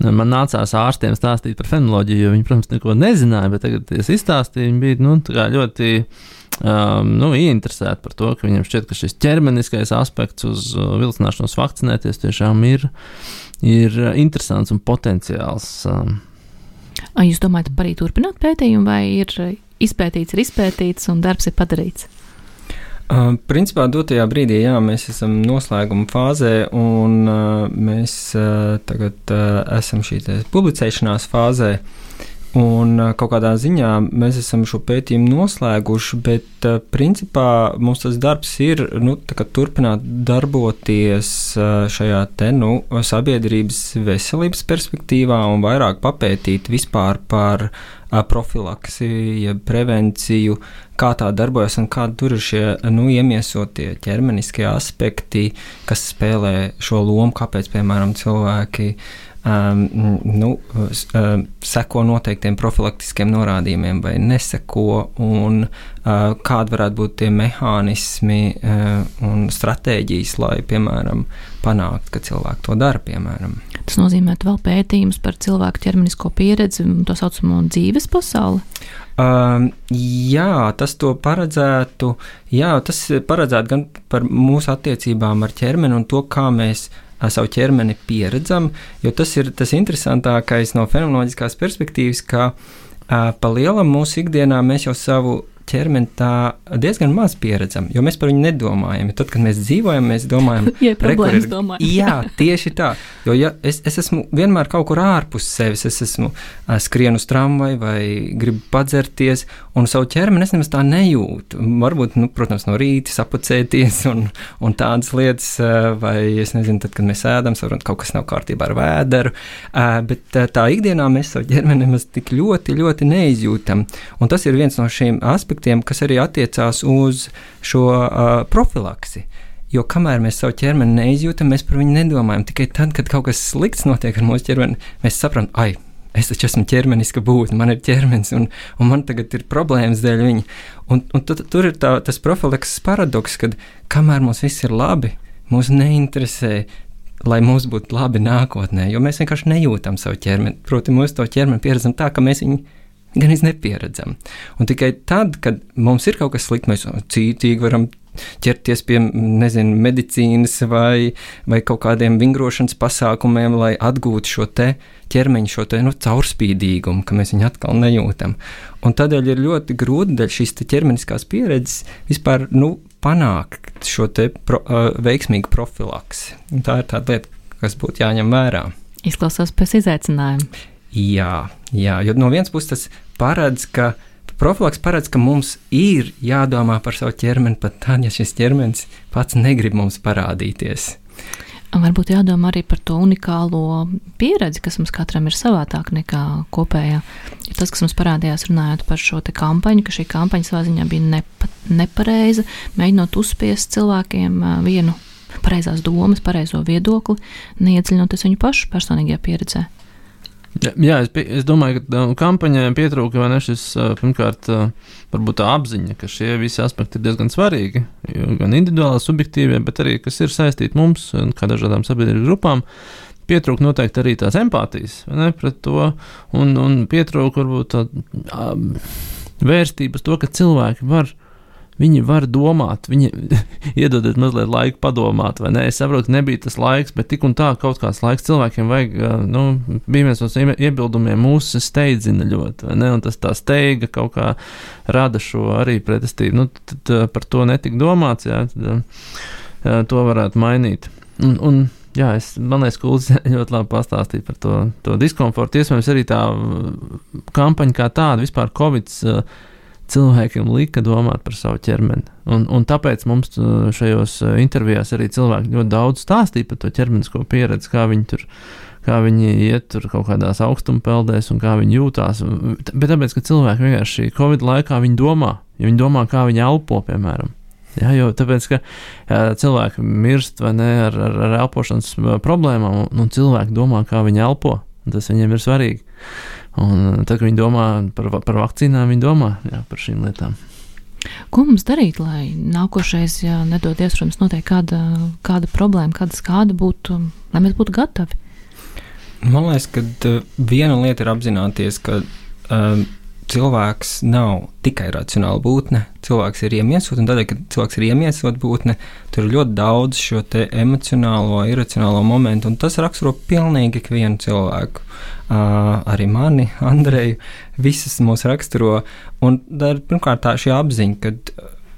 man nācās ārstiem stāstīt par fenomenoloģiju, jo viņi, protams, neko nezināja, bet tagad es izstāstīju, viņi bija, ļoti ieinteresēti par to, ka viņiem šķiet, ka šis ķermeniskais aspekts uz vilcināšanos vakcinēties tiešām ir interesants un potenciāls. Jūs domājat, arī turpināt pētījumu, vai ir izpētīts un darbs ir padarīts? Principā dotajā brīdī, mēs esam noslēguma fāzē, un mēs tagad esam šī publicēšanās fāzē, un kaut kādā ziņā mēs esam šo pētījumu noslēguši, bet principā mums tas darbs ir turpināt darboties šajā sabiedrības veselības perspektīvā un vairāk papētīt vispār par profilaksi, prevenciju, kā tā darbojas un kādi tur ir šie iemiesotie ķermeniskie aspekti, kas spēlē šo lomu, kāpēc, piemēram, cilvēki seko noteiktiem profilaktiskiem norādījumiem vai neseko, un kādi varētu būt tie mehānismi un stratēģijas, lai, piemēram, panākt, ka cilvēki to dara, piemēram. Tas nozīmē vēl pētījums par cilvēku ķermenisko pieredzi un to saucamo dzīves pasauli? Tas to paredzētu, tas paredzētu gan par mūsu attiecībām ar ķermeni un to, kā mēs savu ķermeni pieredzam, jo tas ir tas interesantākais no fenomenoloģiskās perspektīvas, ka pa lielam mūsu ikdienā mēs jau savu ķermeni tā diezgan maz pieredzam, jo mēs par viņu nedomājam. Tad, kad mēs dzīvojam, mēs domājam, problēmas domājam. Jā, tieši tā. Jo ja es esmu vienmēr kaut kur ārpus sevis, es esmu skrienu uz tramvaju vai gribu padzerties, un savu ķermeni es nemaz tā nejūtu. Varbūt, protams, no rīta sapucēties un tādas lietas, vai es nezinu, tad, kad mēs ēdam, saprot, kaut kas nav kārtībā ar vēderu, bet tā ikdienā mēs savu ķermeni nemaz tik ļoti, ļoti neizjūtam. Un tas ir viens no šiem aspektiem, kas arī attiecās uz šo profilaksi. Jo kamēr mēs savu ķermeni neizjūtam, mēs par viņu nedomājam. Tikai tad, kad kaut kas slikts notiek ar mūsu ķermeni, mēs saprotam, es taču esmu ķermeniska būtne, man ir ķermenis, un man tagad ir problēmas dēļ viņa. Un tur ir tas profilakses paradoks, kad kamēr mums viss ir labi, mūs neinteresē, lai mums būtu labi nākotnē, jo mēs vienkārši nejūtam savu ķermeni. Proti, mūsu to ķermeni pieredzam tā, ka mēs viņu gan nepieredzam. Un tikai tad, kad mums ir kaut kas slikts, mēs cītīgi varam ķerties pie, medicīnas vai kaut kādiem vingrošanas pasākumiem, lai atgūtu šo te ķermeņu, šo te caurspīdīgumu, ka mēs viņu atkal nejūtam. Un tādēļ ir ļoti grūti dēļ šīs te ķermeniskās pieredzes vispār, panākt šo te veiksmīgu profilaksi. Un tā ir tāda lieta, kas būtu jāņem vērā. Izklausās pēc izaicinājuma. Jā, jo no vienas puses tas profilaks paredz, ka mums ir jādomā par savu ķermeni pat tad, ja šis ķermenis pats negrib mums parādīties. Varbūt jādomā arī par to unikālo pieredzi, kas mums katram ir savādāk nekā kopējā. Jo tas, kas mums parādījās runājot par šo te kampaņu, ka šī kampaņa savā ziņā bija nepareiza, mēģinot uzspiest cilvēkiem vienu pareizās domas, pareizo viedokli, neiedziļinoties viņu pašu personīgajā pieredzē. Jā, es domāju, ka kampaņai pietrūka vai ne šis, pirmkārt, varbūt tā apziņa, ka šie visi aspekti ir diezgan svarīgi, gan individuāli, subjektīvie, bet arī, kas ir saistīti mums, kā dažādām sabiedrības grupām, pietrūka noteikti arī tās empātijas, vai ne, pret to, un pietrūka varbūt tā vērstības to, ka cilvēki viņi var domāt, viņi iedodiet mazliet laiku padomāt, vai ne? Es saprotu, ka nebija tas laiks, bet tik un tā kaut kāds laiks cilvēkiem vajag, bija viens no iebildumiem mūsu steidzina ļoti, vai ne? Un tas tā steiga kaut kā rada šo arī pretestību. Tad par to netika domāts, jā, tad to varētu mainīt. Un jā, man liekas, ka Uldis ļoti labi pastāstīja par to diskomfortu. Iespējams, arī tā kampaņa kā tāda, vispār Covids, cilvēkiem lika domāt par savu ķermeni. Un tāpēc mums šajos intervijās arī cilvēki ļoti daudz stāstīja par to ķermenisko pieredzi, kā viņi iet tur kaut kādās augstumpeldēs un kā viņi jūtās. Bet tāpēc, ka cilvēki vienkārši Covid laikā viņi domā, kā viņi elpo, piemēram. Jā, jo tāpēc, ka cilvēki mirst vai ne ar elpošanas problēmām, un cilvēki domā, kā viņi elpo. Tas viņiem ir svarīgi. Un tad, kad viņi domā par vakcīnām, viņi domā par šīm lietām. Ko mums darīt, lai nākošais, ja nedodies, protams, notiek kāda problēma, kāda skāda būtu, lai mēs būtu gatavi? Man liekas, ka viena lieta ir apzināties, ka cilvēks nav tikai racionāla būtne, cilvēks ir iemiesot, un tādēļ, ka cilvēks ir iemiesot būtne, tur ir ļoti daudz šo te emocionālo, iracionālo momentu, un tas raksturo pilnīgi ikvienu cilvēku. Arī mani, Andreju, visas mūs raksturo, un tā ir pirmkārt tā šī apziņa, ka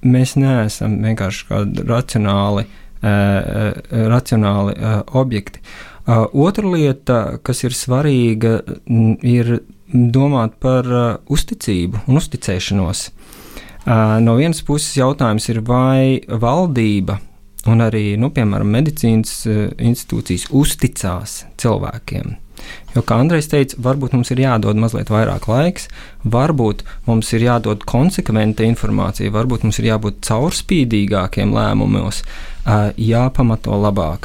mēs neesam vienkārši kādi racionāli objekti. Otra lieta, kas ir svarīga, ir domāt par uzticību un uzticēšanos. No vienas puses jautājums ir, vai valdība un arī, piemēram, medicīnas institūcijas uzticās cilvēkiem. Jo, kā Andrejs teica, varbūt mums ir jādod mazliet vairāk laiks, varbūt mums ir jādod konsekventa informācija, varbūt mums ir jābūt caurspīdīgākiem lēmumos, jāpamato labāk.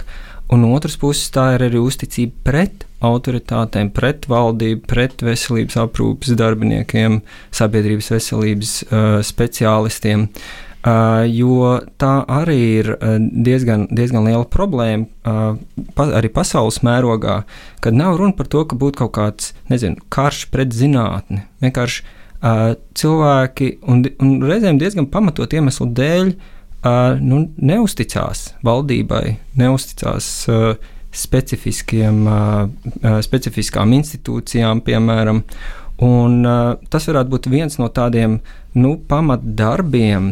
Un otras puses tā ir arī uzticība pret autoritātēm, pret valdību, pret veselības aprūpes darbiniekiem, sabiedrības veselības speciālistiem, jo tā arī ir diezgan liela problēma arī pasaules mērogā, kad nav runa par to, ka būtu kaut kāds, karš pret zinātni. Vienkārši cilvēki un reizēm diezgan pamatot iemeslu dēļ neusticās valdībai, neusticās specifiskām institūcijām, piemēram, Un tas varētu būt viens no tādiem pamatdarbiem,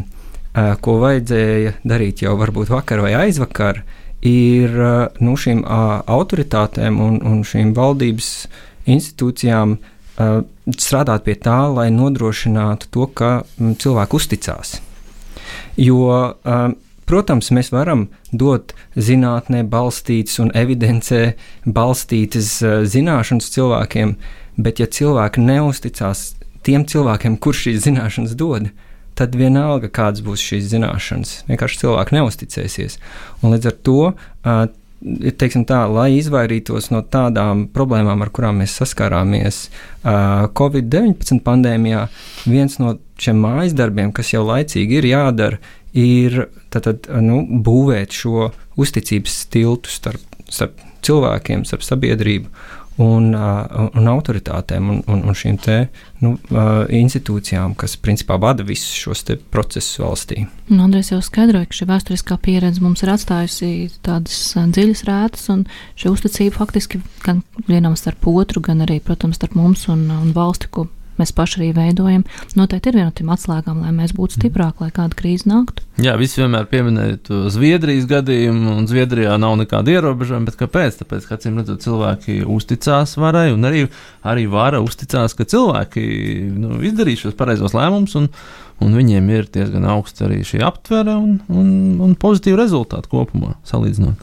ko vajadzēja darīt jau varbūt vakar vai aizvakar, ir šīm autoritātēm un šīm valdības institūcijām strādāt pie tā, lai nodrošinātu to, ka cilvēki uzticās. Jo, protams, mēs varam dot zinātnē balstītas un evidencē balstītas zināšanas cilvēkiem, bet ja cilvēki neusticās tiem cilvēkiem, kurš šīs zināšanas dod, tad vienalga, kādas būs šīs zināšanas. Vienkārši cilvēki neusticēsies. Un līdz ar to, teiksim tā, lai izvairītos no tādām problēmām, ar kurām mēs saskārāmies Covid-19 pandēmijā, viens no šiem mājas darbiem, kas jau laicīgi ir jādara, ir būvēt šo uzticības tiltu starp cilvēkiem, starp sabiedrību un autoritātēm un šīm te institūcijām, kas principā vada visus šos te procesus valstī. Andrejs jau skaidroja, ka šī vēsturiskā pieredze mums ir atstājusi tādas dziļas rētas, un šī uzticība faktiski gan vienam starp otru, gan arī, protams, starp mums un valsti, ko mēs paši arī veidojam, noteikti ir viena no tiem atslēgām, lai mēs būtu stiprāki, lai kāda krīze nāktu. Jā, visi vienmēr pieminēja Zviedrijas gadījumu, un Zviedrijā nav nekāda ierobežojuma, bet kāpēc? Tāpēc, ka acīm redzot, cilvēki uzticās varai, un arī vara uzticās, ka cilvēki izdarīs šos pareizos lēmumus, un viņiem ir diezgan augsts arī šī aptvere un pozitīvi rezultāti kopumā salīdzinot.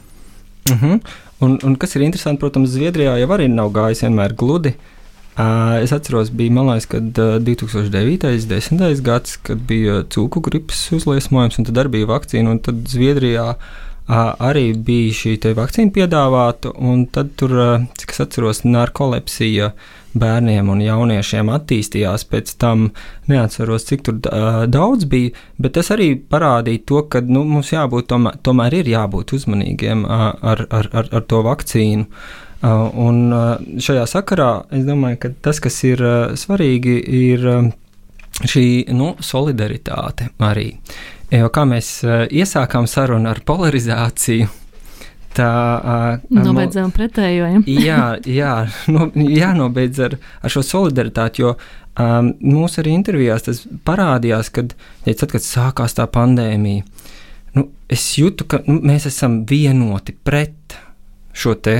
Un kas ir interesanti, protams, Zviedrijā jau arī nav gājis vienmēr gludi. Es atceros, bija malais, kad 2009. 10. gads, kad bija cūku gripas uzliesmojums, un tad arī bija vakcīna, un tad Zviedrijā arī bija šī te vakcīna piedāvāta, un tad tur, cik es atceros, narkolepsija bērniem un jauniešiem attīstījās pēc tam, neatceros, cik tur daudz bija, bet tas arī parādīja to, ka mums jābūt, tomēr ir jābūt uzmanīgiem ar to vakcīnu. Un šajā sakarā es domāju, ka tas, kas ir svarīgi, ir šī solidaritāte arī. Jo kā mēs iesākām sarunu ar polarizāciju, tā nobeidzām pretējo. Jānobeidz ar šo solidaritāti, jo mūsu arī intervijās tas parādījās, kad sākās tā pandēmija. Es jūtu, ka mēs esam vienoti pret šo te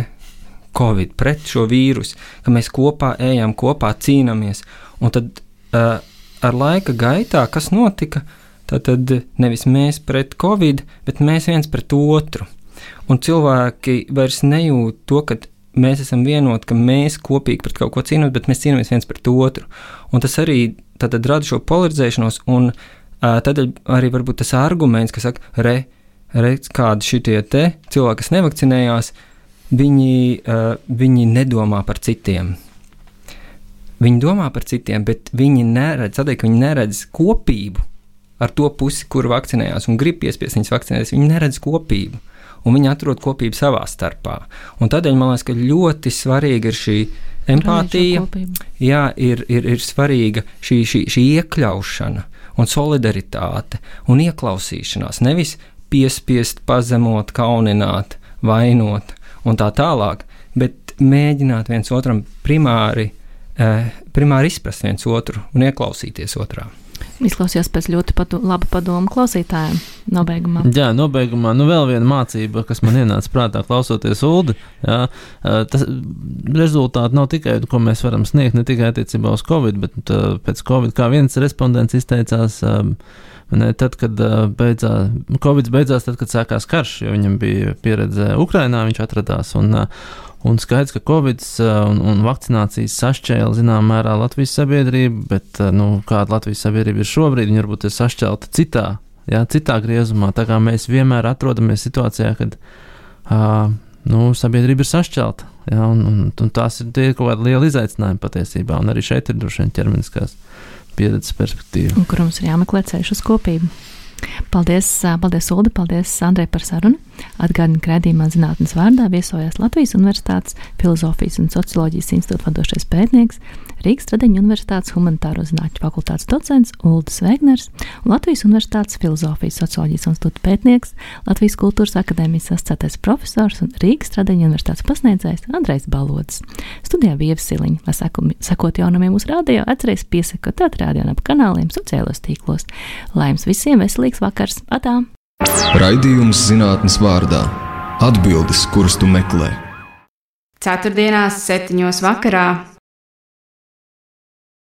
Covid, pret šo vīrusu, ka mēs kopā ejam, kopā cīnāmies. Un tad ar laika gaitā, kas notika, tad nevis mēs pret Covid, bet mēs viens pret otru. Un cilvēki vairs nejūt to, ka mēs esam vienoti, ka mēs kopīgi pret kaut ko cīnāmies, bet mēs cīnāmies viens pret otru. Un tas arī tad rada šo polarizēšanos, un tad arī varbūt tas arguments, ka saka, kādi šitie te cilvēki, kas nevakcinējās, viņi nedomā par citiem. Viņi domā par citiem, bet viņi neredz kopību ar to pusi, kur vakcinējās un grib piespiest viņus vakcinēties. Viņi neredz kopību, un viņi atrod kopību savā starpā. Un tādēļ man liekas, ka ļoti svarīga ir šī empātija, ir svarīga šī iekļaušana un solidaritāte un ieklausīšanās. Nevis piespiest, pazemot, kaunināt, vainot un tā tālāk, bet mēģināt viens otram primāri izprast viens otru un ieklausīties otrā. Izklausījās pēc ļoti laba padoma klausītājiem nobeigumā. Jā, nobeigumā, vēl viena mācība, kas man ienāca prātā klausoties Uldi, tas rezultāti nav tikai, ko mēs varam sniegt, ne tikai attiecībā uz Covid, bet pēc Covid, kā viens respondents izteicās, tad, kad Covid beidzās, tad, kad sākās karš, jo viņam bija pieredze Ukrainā, viņš atradās, un skaidrs, ka Covid un vakcinācijas sašķēla zinām mērā Latvijas sabiedrību, bet kāda Latvijas sabiedrība ir šobrīd, viņa varbūt ir sašķelta citā griezumā, tā kā mēs vienmēr atrodamies situācijā, kad sabiedrība ir sašķelta, un tās ir kaut kāda liela izaicinājuma patiesībā, un arī šeit ir droši vien ķermeniskās pieredzes perspektīva. Un kur mums ir jāmeklē ceļš uz kopību. Paldies, Uldi, paldies, Andrej, par sarunu. Atgādinu, ka raidījumā Zinātnes vārdā viesojās Latvijas Universitātes Filozofijas un socioloģijas institūta vadošais pētnieks, Rīgas Tradeņu Universitātes humanitāro zinātņu fakultātes docents Uldis Vēgners un Latvijas Universitātes Filozofijas socioloģijas institūta pētnieks, Latvijas Kultūras akadēmijas asociētais profesors un Rīgas Tradeņu Universitātes pasniedzējs Andrejs Balodis. Studijā bija Ieva Siliņa. Lai sekot jaunumiem mūsu radio, atcerieties piesakot radio un ap kanāliem sociālos tīklos. Lai jums visiem veselīgs vakars! Atā! Raidījums Zinātnes vārdā. Atbildes, kuras tu meklē. Ceturtdienās 7:00 vakarā